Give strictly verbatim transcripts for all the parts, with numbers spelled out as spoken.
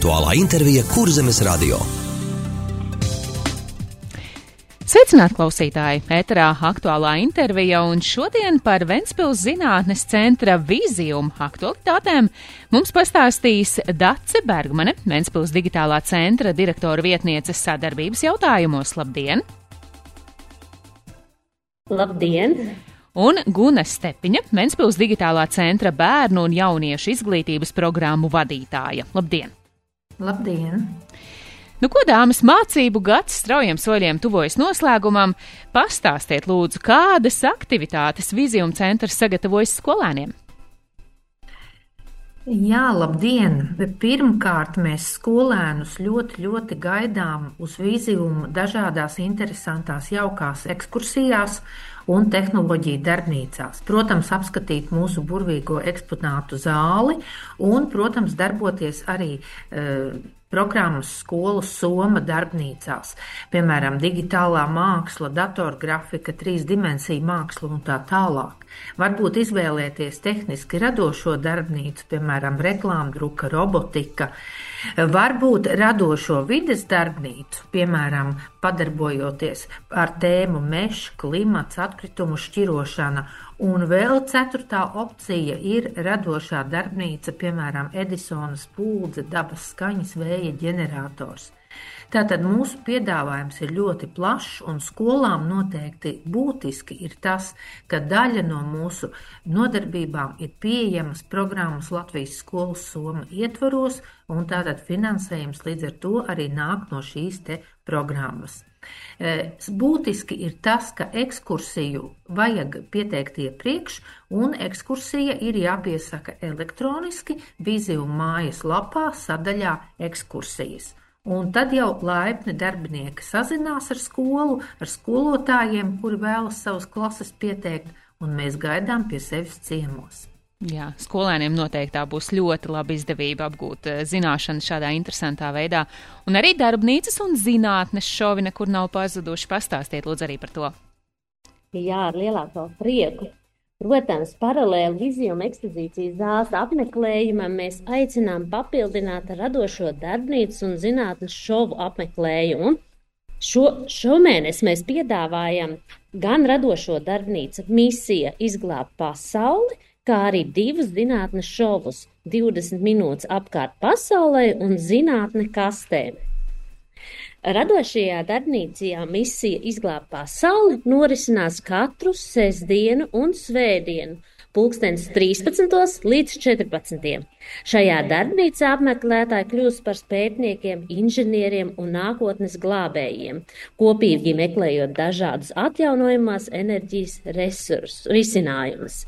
Aktuālā intervija Kurzemes radio. Sveicināti klausītāji! Ēterā aktuālā intervija un šodien par Ventspils zinātnes centra Visium aktualitātēm mums pastāstīs Dace Bergmane, Ventspils digitālā centra direktora vietniece sadarbības jautājumos. Labdien! Labdien! Un Gune Stepiņa, Ventspils digitālā centra bērnu un jauniešu izglītības programmu vadītāja. Labdien! Labdien! Nu, ko, dāmas, mācību gads straujiem soļiem tuvojas noslēgumam. Pastāstiet, lūdzu, kādas aktivitātes Visium centrs sagatavojas skolēniem? Jā, labdien! Pirmkārt, mēs skolēnus ļoti, ļoti gaidām uz Visium dažādās interesantās jaukās ekskursijās un tehnoloģiju darbnīcās. Protams, apskatīt mūsu burvīgo eksponātu zāli un, protams, darboties arī uh, programmas skolu Soma darbnīcās, piemēram, digitālā māksla, datorgrafika, trīsdimensiju māksla un tā tālāk. Varbūt izvēlēties tehniski radošo darbnīcu, piemēram, reklāmdruka, robotika, varbūt radošo vides darbnīcu, piemēram, padarbojoties ar tēmu mežs, klimats, atkritumu šķirošana. Un vēl ceturtā opcija ir radošā darbnīca, piemēram, Edisona spuldze, dabas skaņas, vēja ģenerators. Tātad mūsu piedāvājums ir ļoti plašs, un skolām noteikti būtiski ir tas, ka daļa no mūsu nodarbībām ir pieejamas programmas Latvijas skolas Soma ietvaros, un tātad finansējums līdz ar to arī nāk no šīs te programmas. Būtiski ir tas, ka ekskursiju vajag pieteikt iepriekš, un ekskursija ir jāpiesaka elektroniski Visium mājas lapā sadaļā ekskursijas. Un tad jau laipni darbinieki sazinās ar skolu, ar skolotājiem, kuri vēlas savas klases pieteikt, un mēs gaidām pie sevis ciemos. Jā, skolēniem noteikti tā būs ļoti laba izdevība apgūt zināšanas šādā interesantā veidā. Un arī darbnīcas un zinātnes šovi nekur nav pazuduši. Pastāstiet lūdzu arī par to. Jā, ar lielāko prieku. Protams, paralēli Visium ekspozīcijas zāles apmeklējumam mēs aicinām papildināt radošo darbnīcu un zinātnes šovu apmeklējumu. Šo, šomēnes mēs piedāvājam gan radošo darbnīcu misija izglābt pasauli, kā arī divus zinātnes šovus – divdesmit minūtes apkārt pasaulē un zinātne kastēm. Radošajā darbnīcā misija izglābt pasauli norisinās katru sestdienu un svētdienu, pulkstens trīspadsmitos līdz četrpadsmitiem. Šajā darbnīcā apmeklētāji kļūst par pētniekiem, inženieriem un nākotnes glābējiem, kopīgi meklējot dažādus atjaunojamās enerģijas resursus, risinājumus.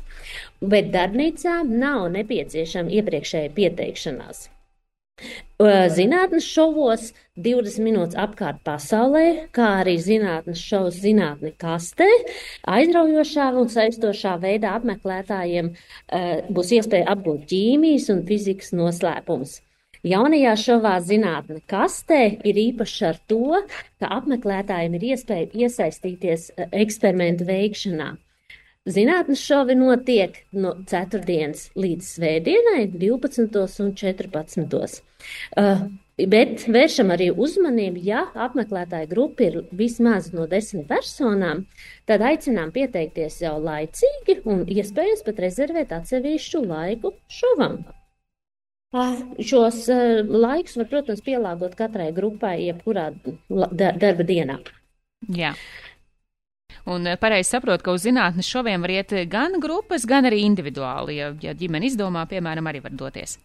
Bet darbnīcā nav nepieciešama iepriekšēja pieteikšanās. Zinātnes šovos divdesmit minūtes apkārt pasaulē, kā arī zinātnes šovs zinātne kastē, aizraujošā un saistošā veidā apmeklētājiem uh, būs iespēja apgūt ķīmijas un fizikas noslēpumus. Jaunajā šovā zinātne kastē ir īpaši ar to, ka apmeklētājiem ir iespēja iesaistīties uh, eksperimentu veikšanā. Zinātnes šovi notiek no ceturtdienas līdz svētdienai, divpadsmitos un četrpadsmitos. Uh, bet vēršam arī uzmanību, ja apmeklētāja grupa ir vismaz no desmit personām, tad aicinām pieteikties jau laicīgi un iespējams pat rezervēt atsevišķu laiku šovam. Uh, šos uh, laikus var, protams, pielāgot katrai grupai, jebkurā da- darba dienā. Jā. Un pareizi saprot, ka uz zinātnes šoviem var iet gan grupas, gan arī individuāli, ja, ja ģimene izdomā, piemēram, arī var doties.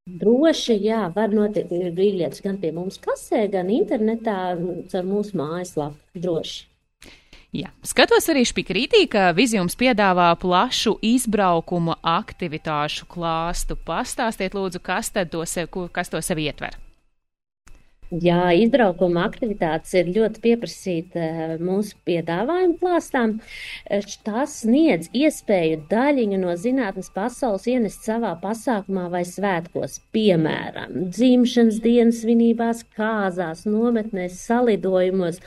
Droši, jā, var notikt brīvlietas gan pie mums kasē, gan internetā, caur mūsu mājaslapu, droši. Jā, skatos arī špikrītī, ka Visiums piedāvā plašu izbraukuma aktivitāšu klāstu. Pastāstiet lūdzu, kas tad to sev, kas to sev ietver? Jā, izbraukuma aktivitātes ir ļoti pieprasīta mūsu piedāvājuma klāstām. Tas sniedz iespēju daļiņu no zinātnes pasaules ienest savā pasākumā vai svētkos, piemēram, dzimšanas dienas svinībās, kāzās, nometnēs, salidojumos,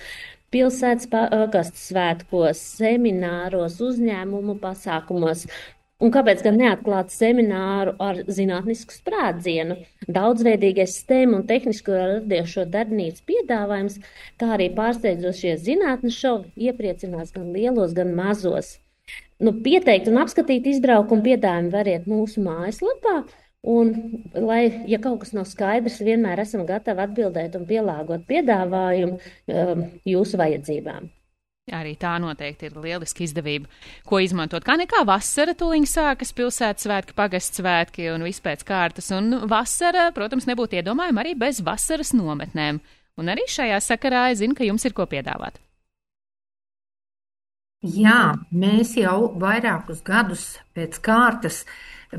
pilsētas pakastu svētkos, semināros, uzņēmumu pasākumos. Un kāpēc gan neatklāt semināru ar zinātnisku sprādzienu? Daudzveidīgais STEM un tehnisko radiošo darbnīcu piedāvājums, kā arī pārsteidzošie zinātnes šovi iepriecinās gan lielos, gan mazos. Nu, pieteikt un apskatīt izbraukumu piedāvājumu variet mūsu mājaslapā, un, lai, ja kaut kas nav skaidrs, vienmēr esam gatavi atbildēt un pielāgot piedāvājumu um, jūsu vajadzībām. Arī tā noteikti ir lieliski izdevība, ko izmantot. Kā nekā vasara tūliņ sākas, pilsētas svētki, pagasts svētki un viss pēc kārtas. Un vasara, protams, nebūtu iedomājama arī bez vasaras nometnēm. Un arī šajā sakarā es zinu, ka jums ir ko piedāvāt. Jā, mēs jau vairākus gadus pēc kārtas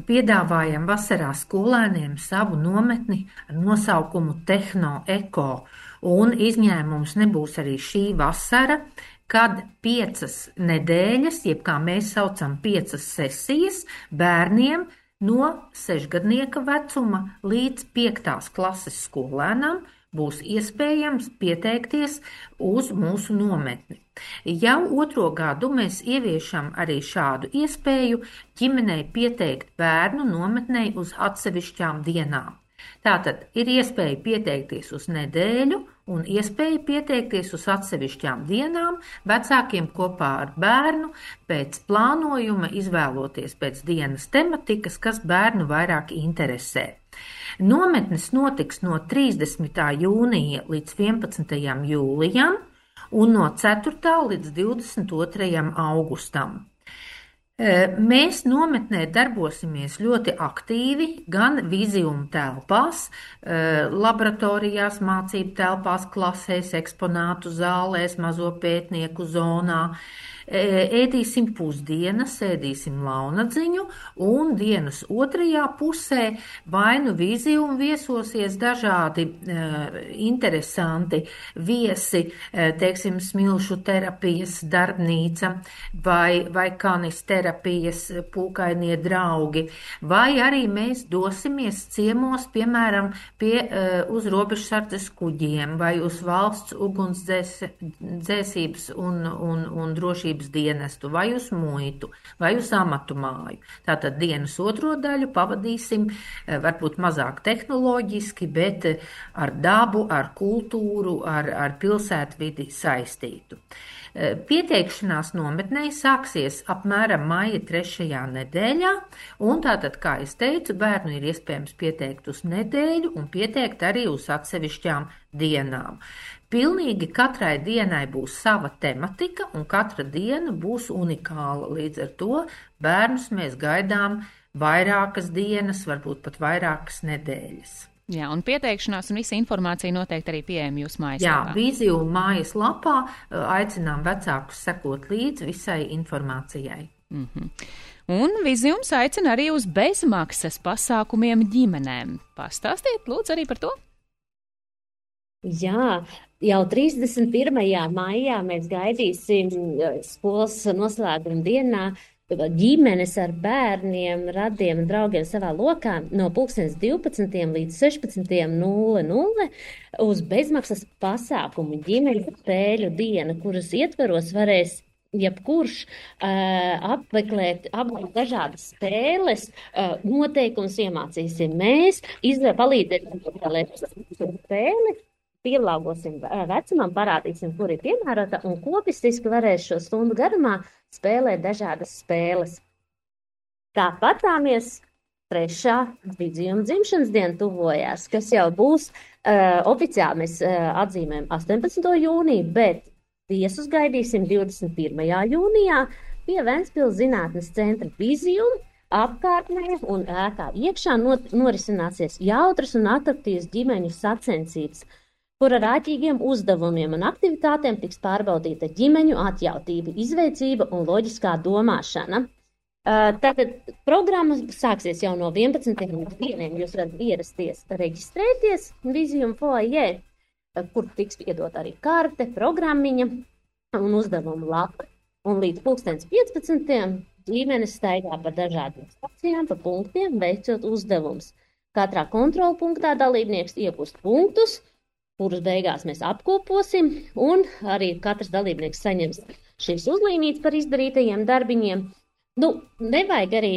piedāvājam vasarā skolēniem savu nometni ar nosaukumu Tehno Eko. Un izņēmums nebūs arī šī vasara, kad piecas nedēļas, jeb kā mēs saucam piecas sesijas, bērniem no sešgadnieka vecuma līdz piektās klases skolēnam būs iespējams pieteikties uz mūsu nometni. Jau otro gadu mēs ieviešam arī šādu iespēju ģimenei pieteikt bērnu nometnei uz atsevišķām dienām. Tātad ir iespēja pieteikties uz nedēļu un iespēja pieteikties uz atsevišķām dienām vecākiem kopā ar bērnu pēc plānojuma izvēloties pēc dienas tematikas, kas bērnu vairāk interesē. Nometnes notiks no trīsdesmitā jūnija līdz vienpadsmitajam jūlijam un no ceturtā līdz divdesmit otrajam augustam. Mēs nometnē darbosimies ļoti aktīvi gan Vizium telpās, laboratorijās, mācību telpās, klasēs, eksponātu zālēs, mazo pētnieku zonā. Ēdīsim pusdienas, ēdīsim launadziņu un dienas otrajā pusē vai nu Vizium viesosies dažādi uh, interesanti viesi, uh, teiksim, smilšu terapijas darbnīca vai, vai kanis terapijas pūkainie draugi, vai arī mēs dosimies ciemos, piemēram, pie uh, uz robežsardzes kuģiem vai uz valsts ugunsdzēsības un, un, un drošības dienestu, vai uz muitu, vai uz amatu māju. Tātad dienas otro daļu pavadīsim varbūt mazāk tehnoloģiski, bet ar dabu, ar kultūru, ar, ar pilsētvidi saistītu. Pieteikšanās nometnei sāksies apmēram maija trešajā nedēļā, un tātad, kā es teicu, bērnu ir iespējams pieteikt uz nedēļu un pieteikt arī uz atsevišķām dienām. Pilnīgi katrai dienai būs sava tematika, un katra diena būs unikāla. Līdz ar to bērnus mēs gaidām vairākas dienas, varbūt pat vairākas nedēļas. Jā, un pieteikšanās un visa informācija noteikti arī pieejama jūsu mājaslapā. Jā, Vizium mājaslapā aicinām vecākus sekot līdzi visai informācijai. Mm-hmm. Un Viziums aicina arī uz bezmaksas pasākumiem ģimenēm. Pastāstiet, lūdzu, arī par to. Jā, jau trīsdesmit pirmajā maijā mēs gaidīsim skolas noslēguma dienā ģimenes ar bērniem, radiem un draugiem savā lokā no pulkstens divpadsmitiem līdz sešpadsmitiem nulle nulle uz bezmaksas pasākumu ģimenes spēļu dienu, kuras ietveros varēs jebkurš uh, apmeklēt apmeklēt dažādas spēles, uh, noteikums iemācīsim mēs, izvēl palīdzēt spēli. Pielāgosim vecumam, parādīsim, kur ir piemērota, un kopistiski varēs šo stundu garumā spēlēt dažādas spēles. Tāpatāmies trešā Viziuma dzimšanas diena tuvojās, kas jau būs uh, oficiāli mēs uh, atzīmējam astoņpadsmito jūniju, bet viesus gaidīsim divdesmit pirmajā jūnijā pie Ventspils zinātnes centra Vizium apkārtnē un ēkā iekšā not, norisināsies jautras un atraktīvas ģimeņu sacensības, kur ar āķīgiem uzdevumiem un aktivitātēm tiks pārbaudīta ģimeņu atjautība, izveicība un loģiskā domāšana. Tātad programma sāksies jau no vienpadsmitiem līdz vieniem. Jūs varat ierasties, reģistrēties Vizium foajē, kur tiks iedot arī karte, programmiņa un uzdevumu lapa. Un līdz pulkstens piecpadsmitiem ģimenes staigā pa dažādiem stācijām, pa punktiem, veicot uzdevumus. Katrā kontrola punktā dalībnieks iegūst punktus, kurus beigās mēs apkoposim, un arī katrs dalībnieks saņems šīs uzlīmītes par izdarītajiem darbiņiem. Nu, nevajag arī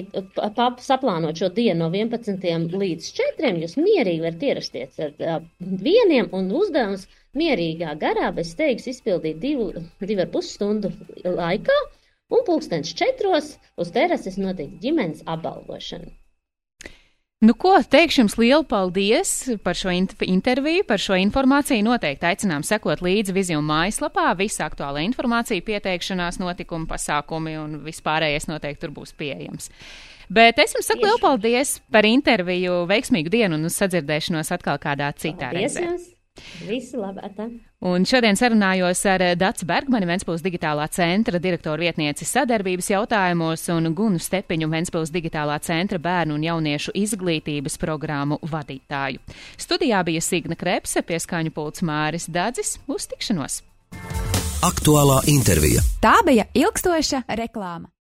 saplānot šo dienu no vienpadsmitiem līdz četriem. Jūs mierīgi varat ierasties ar uh, vieniem un uzdevums mierīgā garā bez steigas izpildīt divu, divu ar pus stundu laikā. Un pulkstens četros uz terases notiek ģimenes apbalvošana. Nu, ko teikšu jums lielu paldies par šo interviju, par šo informāciju. Noteikti aicinām sekot līdzi Vizium mājaslapā. Visa aktuāla informācija, pieteikšanās, notikumi, pasākumi un vispārējais noteikti tur būs pieejams. Bet es jums saku lielu paldies par interviju, veiksmīgu dienu un uz sadzirdēšanos atkal kādā citā paldies reizē. Jums. Visu labāk. Un šodien sarunājos ar Daci Bergmani, Ventspils digitālā centra direktoru vietnieci sadarbības jautājumos un Gunu Stepiņu, Ventspils digitālā centra bērnu un jauniešu izglītības programmu vadītāju. Studijā bija Signa Krepse, pie skaņu pults Māris Dadzis. Uz tikšanos! Aktuālā intervija. Tā bija ilgstoša reklāma.